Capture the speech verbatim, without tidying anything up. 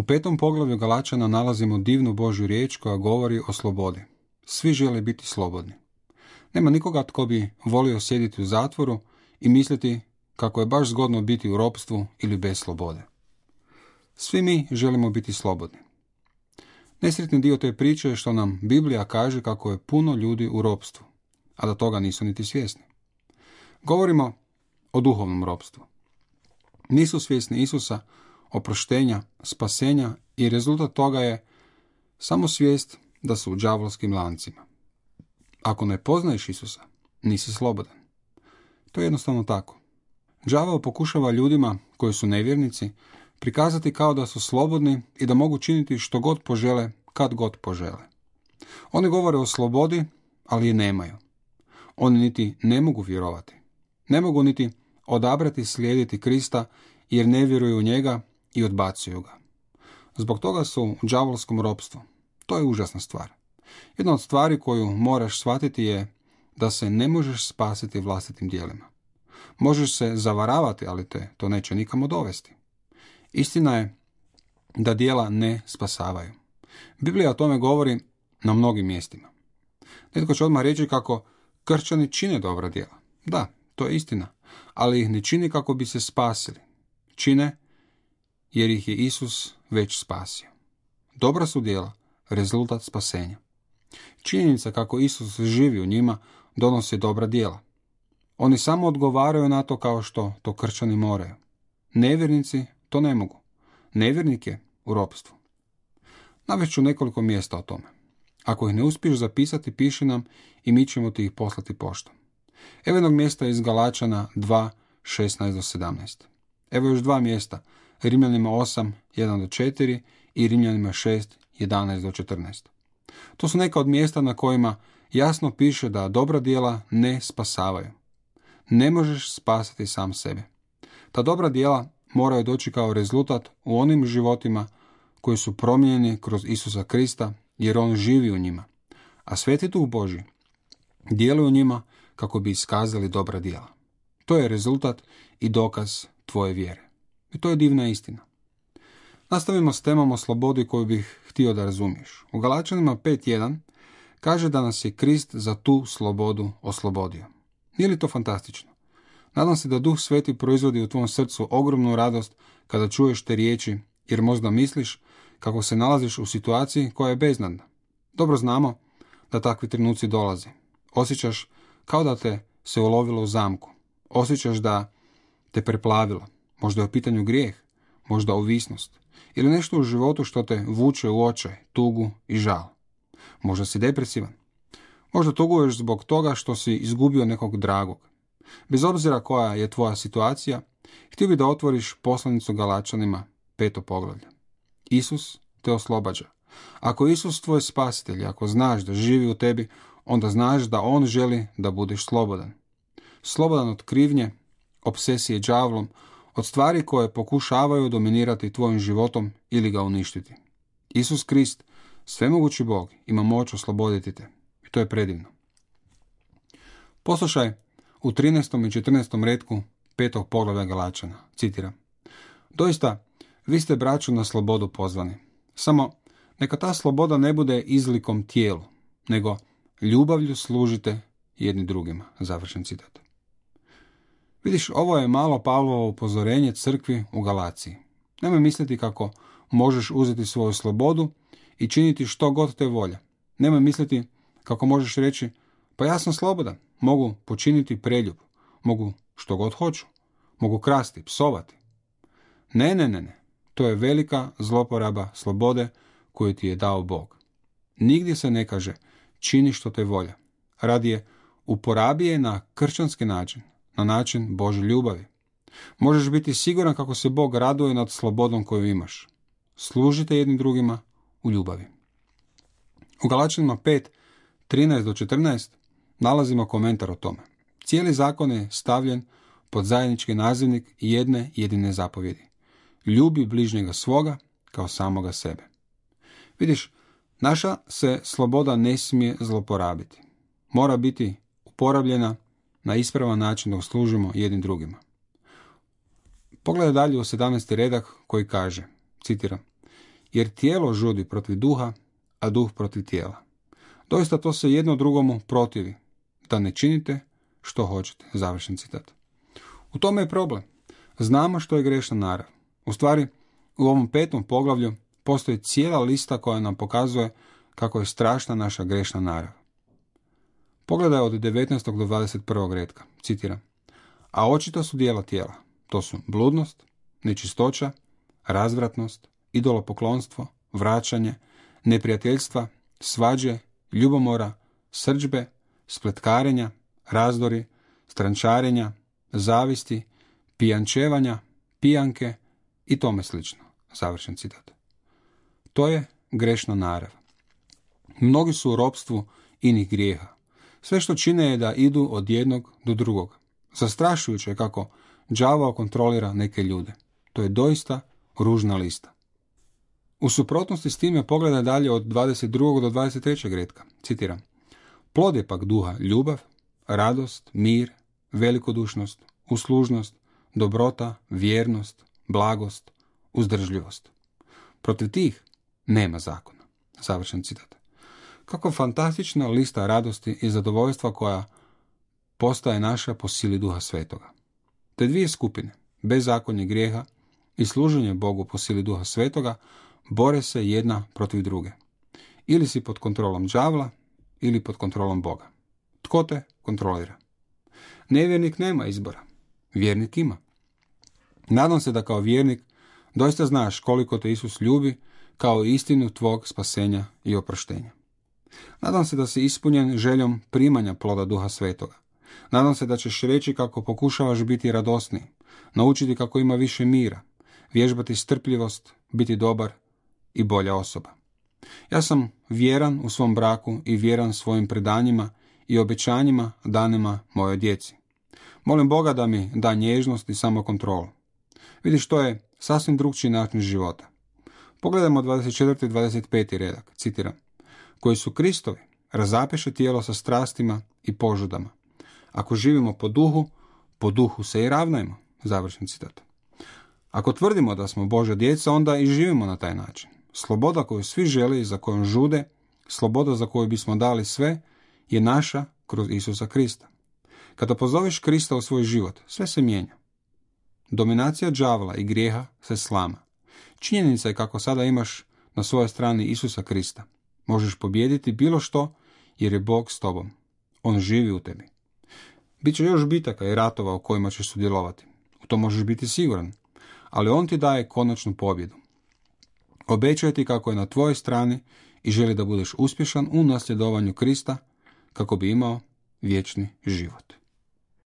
petom poglavlju Galačana nalazimo divnu Božju riječ koja govori o slobodi. Svi žele biti slobodni. Nema nikoga tko bi volio sjediti u zatvoru i misliti kako je baš zgodno biti u ropstvu ili bez slobode. Svi mi želimo biti slobodni. Nesretni dio te priče je što nam Biblija kaže kako je puno ljudi u ropstvu, a da toga nisu niti svjesni. Govorimo o duhovnom ropstvu. Nisu svjesni Isusa, oproštenja, spasenja i rezultat toga je samo svijest da su u đavolskim lancima. Ako ne poznaješ Isusa, nisi slobodan. To je jednostavno tako. Đavao pokušava ljudima koji su nevjernici prikazati kao da su slobodni i da mogu činiti što god požele, kad god požele. Oni govore o slobodi, ali je nemaju. Oni niti ne mogu vjerovati. Ne mogu niti odabrati slijediti Krista jer ne vjeruju u njega i odbacuju ga. Zbog toga su u đavolskom ropstvu. To je užasna stvar. Jedna od stvari koju moraš shvatiti je da se ne možeš spasiti vlastitim djelima. Možeš se zavaravati, ali te to neće nikamo dovesti. Istina je da djela ne spasavaju. Biblija o tome govori na mnogim mjestima. Netko će odmah reći kako kršćani čine dobra djela. Da, to je istina, ali ih ne čini kako bi se spasili. Čine jer ih je Isus već spasio. Dobra su djela rezultat spasenja. Činjenica kako Isus živi u njima donosi dobra djela. Oni samo odgovaraju na to kao što to kršćani moraju. Nevjernici to ne mogu. Nevjernik je u ropstvu. Navest ću nekoliko mjesta o tome. Ako ih ne uspiješ zapisati, piši nam i mi ćemo ti ih poslati poštom. Evo jednog mjesta iz Galačana dva, šesnaest do sedamnaest. Evo još dva mjesta, Rimljanima osam, jedan do četiri i Rimljanima šest, jedanaest do četrnaest. To su neka od mjesta na kojima jasno piše da dobra djela ne spasavaju. Ne možeš spasiti sam sebe. Ta dobra djela moraju doći kao rezultat u onim životima koji su promijenjeni kroz Isusa Krista, jer on živi u njima. A Sveti Duh Božji djeluje u njima kako bi iskazali dobra djela. To je rezultat i dokaz tvoje vjere. I to je divna istina. Nastavimo s temom o slobodi koju bih htio da razumiješ. U Galačanima pet jedan kaže da nas je Krist za tu slobodu oslobodio. Nije li to fantastično? Nadam se da Duh Sveti proizvodi u tvom srcu ogromnu radost kada čuješ te riječi, jer možda misliš kako se nalaziš u situaciji koja je beznadna. Dobro znamo da takvi trenuci dolaze. Osjećaš kao da te se ulovilo u zamku. Osjećaš da te preplavilo. Možda je u pitanju grijeh, možda ovisnost ili nešto u životu što te vuče u očaj, tugu i žal. Možda si depresivan. Možda tuguješ zbog toga što si izgubio nekog dragog. Bez obzira koja je tvoja situacija, htio bi da otvoriš poslanicu Galačanima, peto poglavlje. Isus te oslobađa. Ako Isus tvoj spasitelj, ako znaš da živi u tebi, onda znaš da on želi da budeš slobodan. Slobodan od krivnje, obsesije đavlom, od stvari koje pokušavaju dominirati tvojim životom ili ga uništiti. Isus Krist, svemogući Bog, ima moć osloboditi te. I to je predivno. Poslušaj u trinaestom i četrnaestom retku petog poglavlja Galačana. Citiram. Doista, vi ste braćo na slobodu pozvani. Samo neka ta sloboda ne bude izlikom tijelu, nego ljubavlju služite jedni drugima. Završen citat. Vidiš, ovo je malo Pavlovo upozorenje crkvi u Galaciji. Nemoj misliti kako možeš uzeti svoju slobodu i činiti što god te volja. Nemoj misliti kako možeš reći, pa ja sam slobodan, mogu počiniti preljub, mogu što god hoću, mogu krasti, psovati. Ne, ne, ne, ne. To je velika zloporaba slobode koju ti je dao Bog. Nigdje se ne kaže čini što te volja. Radije uporabi je na kršćanski način, na način Božje ljubavi. Možeš biti siguran kako se Bog raduje nad slobodom koju imaš. Služite jednim drugima u ljubavi. U Galačanima pet, trinaest do četrnaest nalazimo komentar o tome. Cijeli zakon je stavljen pod zajednički nazivnik jedne jedine zapovjedi. Ljubi bližnjega svoga kao samoga sebe. Vidiš, naša se sloboda ne smije zloporabiti. Mora biti uporabljena na ispravan način da služimo jednim drugima. Pogledaj dalje u sedamnaesti redak koji kaže, citiram, jer tijelo žudi protiv duha, a duh protiv tijela. Doista to se jedno drugomu protivi, da ne činite što hoćete. Završen citat. U tome je problem. Znamo što je grešna narav. U stvari, u ovom petom poglavlju postoji cijela lista koja nam pokazuje kako je strašna naša grešna narav. Pogledaj od devetnaestog do dvadeset prvog retka. Citiram. A očito su dijela tijela. To su bludnost, nečistoća, razvratnost, idolopoklonstvo, vraćanje, neprijateljstva, svađe, ljubomora, srdžbe, spletkarenja, razdori, strančarenja, zavisti, pijančevanja, pijanke i tome slično. Završen citat. To je grešna narav. Mnogi su u ropstvu inih grijeha. Sve što čine je da idu od jednog do drugog. Zastrašujuće je kako đavao kontrolira neke ljude. To je doista ružna lista. U suprotnosti s time pogledaj dalje od dvadeset drugog do dvadeset trećeg retka. Citiram. Plod je pak duha ljubav, radost, mir, velikodušnost, uslužnost, dobrota, vjernost, blagost, uzdržljivost. Protiv tih nema zakona. Završen citat. Kako fantastična lista radosti i zadovoljstva koja postaje naša po sili Duha Svetoga. Te dvije skupine, bezakonje grijeha i služenje Bogu po sili Duha Svetoga, bore se jedna protiv druge. Ili si pod kontrolom đavla, ili pod kontrolom Boga. Tko te kontrolira? Nevjernik nema izbora. Vjernik ima. Nadam se da kao vjernik doista znaš koliko te Isus ljubi kao istinu tvog spasenja i oproštenja. Nadam se da si ispunjen željom primanja ploda Duha Svetoga. Nadam se da ćeš reći kako pokušavaš biti radosniji, naučiti kako ima više mira, vježbati strpljivost, biti dobar i bolja osoba. Ja sam vjeran u svom braku i vjeran svojim predanjima i obećanjima danima mojoj djeci. Molim Boga da mi da nježnost i samokontrolu. Vidiš, to je sasvim drugčiji način života. Pogledajmo dvadeset četvrti i dvadeset peti redak, citiram. Koji su Kristovi, razapeše tijelo sa strastima i požudama. Ako živimo po duhu, po duhu se i ravnajmo. Završen citat. Ako tvrdimo da smo Božja djeca, onda i živimo na taj način. Sloboda koju svi žele i za kojom žude, sloboda za koju bismo dali sve, je naša kroz Isusa Krista. Kada pozoveš Krista u svoj život, sve se mijenja. Dominacija đavla i grijeha se slama. Činjenica je kako sada imaš na svojoj strani Isusa Krista. Možeš pobijediti bilo što jer je Bog s tobom. On živi u tebi. Biće još bitaka i ratova u kojima ćeš sudjelovati. U to možeš biti siguran. Ali on ti daje konačnu pobjedu. Obećuje ti kako je na tvojoj strani i želi da budeš uspješan u nasljedovanju Krista kako bi imao vječni život.